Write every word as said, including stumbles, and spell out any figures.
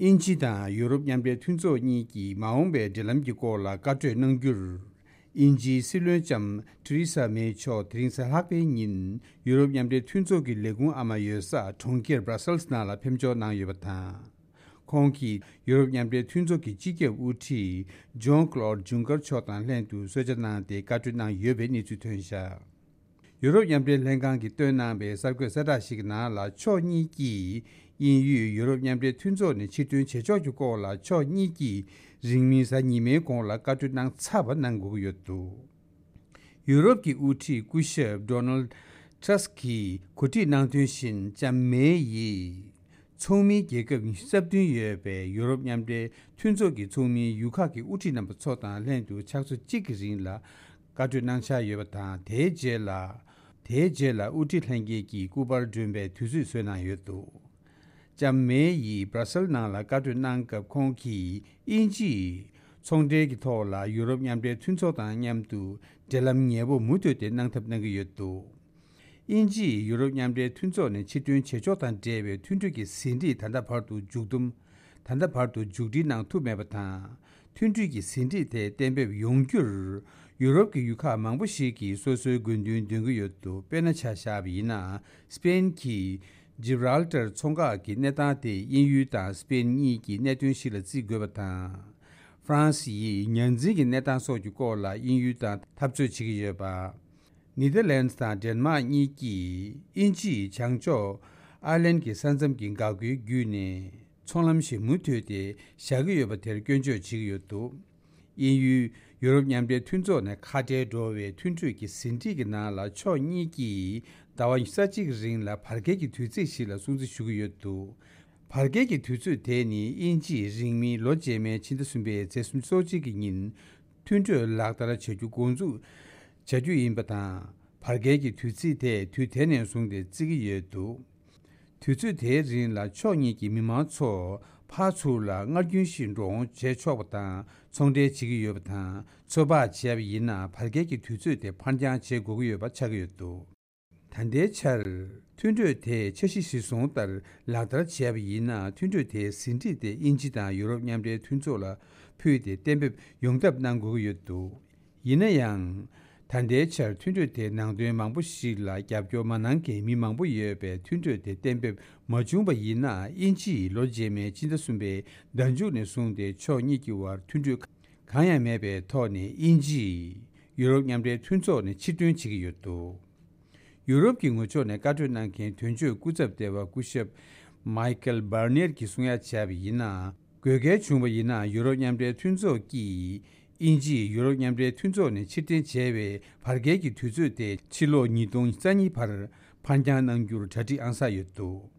དབྱིན་ཇི་དང་ཡུ་རོབ་མཉམ་འབྲེལ་མཐུན་ཚོགས་གཉིས་ཀྱིས་མ་འོངས་པའི་འབྲེལ་ལམ་གྱི་སྐོར་ལ་བཀའ་གྲོས་གནང་རྒྱུར། དབྱིན་ཇིའི་སྲིད་བློན་ལྕམ་ཐེ་རེ་ས་མེ་མཆོག་དེ་རིང་གཟའ་ལྷག་པའི་ཉིན་ཡུ་རོབ་མཉམ་འབྲེལ་མཐུན་ཚོགས་ཀྱི་ལས་ཁུངས་ཨ་མ་ཡོད་ས་གྲོང་ཁྱེར་Brussels་ནང་ལ་ཕེབས་འབྱོར་གནང་ཡོད་པ་དང་། ཁོང་གིས་ཡུ་རོབ་མཉམ་འབྲེལ་མཐུན་ཚོགས་ཀྱི་སྤྱི་ཁྱབ་དབུ་ཁྲིད་Jean-Claude Juncker་མཆོག་དང་ལྷན་དུ་གསོལ་ཇ་གནང་སྟེ་བཀའ་གྲོས་གནང་ཡོད་པའི་གནས་ཚུལ་ཐོན་བཞག་ཡུ་རོབ་མཉམ་འབྲེལ་ལྷན་ཁང་གིས་བཏོན་གནང་བའི་གསར་འགོད་གསལ་བསྒྲགས་ཤིག་གི་ནང་ལ། ཕྱོགས་གཉིས་ཀྱིས་དབྱིན་ཡུལ་ཡུ་རོབ་མཉམ་འབྲེལ་མཐུན་ཚོགས་ནས་ཕྱིར་འཐེན་བྱེད་ཕྱོགས་ཀྱི་སྐོར་ལ་ཕྱོགས་གཉིས་ཀྱིས་རིང་མིན་གཟའ་ཉི་མའི་གོང་ལ་བཀའ་གྲོས་གནང་ཚར་བ་གནང་དགོས་ཀྱི་ཡོད་འདུག་ཡུ་རོབ་ཀྱི་དབུ་ཁྲིད་སྐུ་ཞབས་Donald Tusk་གིས་གོ་སྒྲིག་གནང་དོན་བཞིན། ལྕམ་མེ་ཡིས་ཚོགས་མིའི་རྒྱལ་ཁབ་ཉི་ཤུ་རྩ་བདུན་ཡོད་པའི་ཡུ་རོབ་མཉམ་འབྲེལ་མཐུན་ཚོགས་ཀྱི་ཚོགས་མིའི་ཡུལ་ཁག་གི་དབུ་ཁྲིད་རྣམ་པ་ཚོ་དང་ལྷན་དུ་ཕྱག་ཚོད་གཅིག་གི་རིང་ལ་བཀའ་གྲོས་གནང་འཆར་ཡོད་པ་དང་། དེའི་རྗེས་ལ། དེའི་རྗེས་ལ་དབུ་ཁྲིད་ལྷན་རྒྱས་ཀྱིས་སྐུ་པར་སྒྲོན་པའི་དུས་ཚོད་བཟོས་གནང་ཡོད་འདུག་ལྕམ་མེ་ཡིས་Brussels་ནང་ལ་བཀའ་གྲོས་གནང་སྐབས། ཁོང་གིས་དབྱིན་ཇིས་ཚོང་འབྲེལ་གྱི་ཐོག་ལ་ཡུ་རོབ་མཉམ་འབྲེལ་མཐུན་ཚོགས་དང་མཉམ་དུ་འབྲེལ་ལམ་ཉེ་པོ་མུ་མཐུད་དེ་གནང་ཐབས་གནང་གི་ཡོད་འདུག་དབྱིན་ཇིས་ཡུ་རོབ་མཉམ་འབྲེལ་མཐུན་ཚོགས་ནས་ཕྱིར་འཐེན་བྱེད་ཕྱོགས་དང་འབྲེལ་བའི་མཐུན་གྲོས་ཀྱི་ཟིན་བྲིས་ད་ལྟ་བར་དུ་མཇུག་བསྡོམས། ད་ལྟ་བར་དུ་མཇུག་སྒྲིལ་གནང་ཐུབ་མེད་པ་དང་། མཐུན་གྲོས་ཀྱི་ཟིན་བྲིས་དེ་གཏན་འབེབས་ཡོང་རྒྱུར། ཡུ་རོབ་ཀྱི་ཡུལ་ཁག་མང་པོ་ཞིག་གིས་སོ་སོའི་དགོས་འདུན་འདོན་གྱི་ཡོད་འདུག་དཔེར་ན་ཆ་བཞག་པ་ཡིན་ན། སི་པེན་གྱི་Gibraltar་མཚོ་འགག་གི་གནས་སྟངས་དེ་དབྱིན་ཡུལ་དང་སི་པེན་གཉིས་ཀྱི་གནད་དོན་ཞིག་ལ་བརྩི་དགོས་པ་དང་། ཧྥ་རན་སི་ཡིས་ཉ་འཛིན་གྱི་གནས་སྟངས་སོགས་ཀྱི་སྐོར་ལ་དབྱིན་ཡུལ་དང་འཐབ་རྩོད་བྱེད་ཀྱི་ཡོད་པ། ནེ་དར་ལེན་ཌི་དང་ཌེན་མཱག་གཉིས་ཀྱིས་དབྱིན་ཇིས་བྱང་ཕྱོགས་ཨར་ལན་གྱི་ས་མཚམས་ཀྱི་འགག་སྒོའི་བརྒྱུད་ནས་ཚོང་ལམ་ཞིག་མུ་མཐུད་དེ་བཞག་གི་ཡོད་པ་དེར་སྐྱོན་བརྗོད་བྱེད་ཀྱི་ཡོད་འདུག་དབྱིན་ཡུལ་ཡུ་རོབ་མཉམ་འབྲེལ་མཐུན་ཚོགས་ནས་ཁ་བྲལ་འགྲོ་བའི་མཐུན་གྲོས་ཀྱི་ཟིན་བྲིས་ཀྱི་ནང་ལ། ཕྱོགས་གཉིས་ཀྱིས་ཟླ་བ་ཉི་ཤུ་རྩ་གཅིག་གི་རིང་ལ་བར་བརྒལ་གྱི་དུས་ཚིགས་ཤིག་ལ་སྲུང་བརྩི་ཞུ་གི་ཡོད་འདུག་བར་བརྒལ་གྱི་དུས་ཚོད་དེ་ནི་དབྱིན་ཇིས་རིང་མིན་ལོ་རྗེས་མའི་ཕྱི་ཟླ་གསུམ་པའི་ཚེས་སུམ་ཅུ་སོ་གཅིག་གི་ཉིན་མཐུན་གྲོས་ལག་བསྟར་བྱ་རྒྱུ་འགོ་འཛུགས་བྱ་རྒྱུ་ཡིན་པ་དང་། བར་བརྒལ་གྱི་དུས་ཚིགས་དེ་དུས་དེ་ནས་བཟུང་སྟེ་བརྩི་གི་ཡོད་འདུག་དུས་ཚོད་དེའི་རིང་ལ་ཕྱོགས་གཉིས་ཀྱི་མི་མང་ཚོ་ཕར་ཚུར་ལ་སྔར་རྒྱུན་བཞིན་འགྲོ་འོང་བྱེད་ཆོག་པ་དང་། ཚོང་འབྲེལ་བྱེད་ཀྱི་ཡོད་པ་དང་། ཚོད་དཔག་བྱས་པ་ཡིན་ན། བར་བརྒལ་གྱི་དུས་ཚོད་དེ་ཕར་འགྱངས་བྱེད་དགོས་ཀྱི་ཡོད་པ་ཆགས་ཀྱི་ཡོད་འདུག་ད་ལྟའི་ཆར། མཐུན་གྲོས་དེ་འཆར་གཞི་གཞིར་བཟུང་ལྟར་ལག་བསྟར་བྱས་པ་ཡིན་ན། མཐུན་གྲོས་དེའི་ཟིན་བྲིས་དེ་དབྱིན་ཇི་དང་ཡུ་རོབ་མཉམ་འབྲེལ་མཐུན་ཚོགས་ལ་ཕུལ་ཏེ་གཏན་འབེབས་ཡོང་ཐབས་གནང་དགོས་ཀྱི་ཡོད་འདུག་ཡིན་ན་ཡང་། ད་ལྟའི་ཆར་མཐུན་གྲོས་དེའི་ནང་དོན་མང་པོ་ཞིག་ལ་རྒྱབ་སྐྱོར་མ་གནང་མཁན་མི་མང་པོ་ཡོད་པས། མཐུན་གྲོས་དེ་གཏན་འབེབས་མ་བྱུང་བ་ཡིན་ན། དབྱིན་ཇིས་ལོ་རྗེས་མའི་ཕྱི་ཟླ་གསུམ་པའི་ཟླ་མཇུག་ནས་བཟུང་སྟེ་ཕྱོགས་གཉིས་ཀྱི་བར་མཐུན་གྲོས་གང་ཡང་མེད་པའི་ཐོག་ནས་དབྱིན་ཇིས་ཡུ་རོབ་མཉམ་འབྲེལ་མཐུན་ཚོགས་ནས་ཕྱིར་འདོན་བྱེད་ཀྱི་ཡོད་འདུག་ཡུ་རོབ་ཀྱི་ངོས་ཕྱོགས་ནས་བཀའ་གྲོས་གནང་མཁན་དོན་གཅོད་སྐུ་ཚབ་ལྟེ་བ་སྐུ་ཞབས་Michael Barnier་གྱིས་གསུང་ཡ་བྱས་པ་ཡིན་ན། དགོས་གལ་བྱུང་བ་ཡིན་ན། ཡུ་རོབ་མཉམ་འབྲེལ་མཐུན་ཚོགས་ཀྱིས་དབྱིན་ཇིས་ཡུ་རོབ་མཉམ་འབྲེལ་མཐུན་ཚོགས་ནས་ཕྱིར་འཐེན་བྱས་པའི་བར་བརྒལ་གྱི་དུས་ཚོད་དེ་ཕྱི་ལོ་ཉིས་སྟོང་རྩ་གཉིས་བར་ཕར་འགྱངས་གནང་རྒྱུར་གྲ་སྒྲིག་ཨང་གསར་ཡོད་འདུག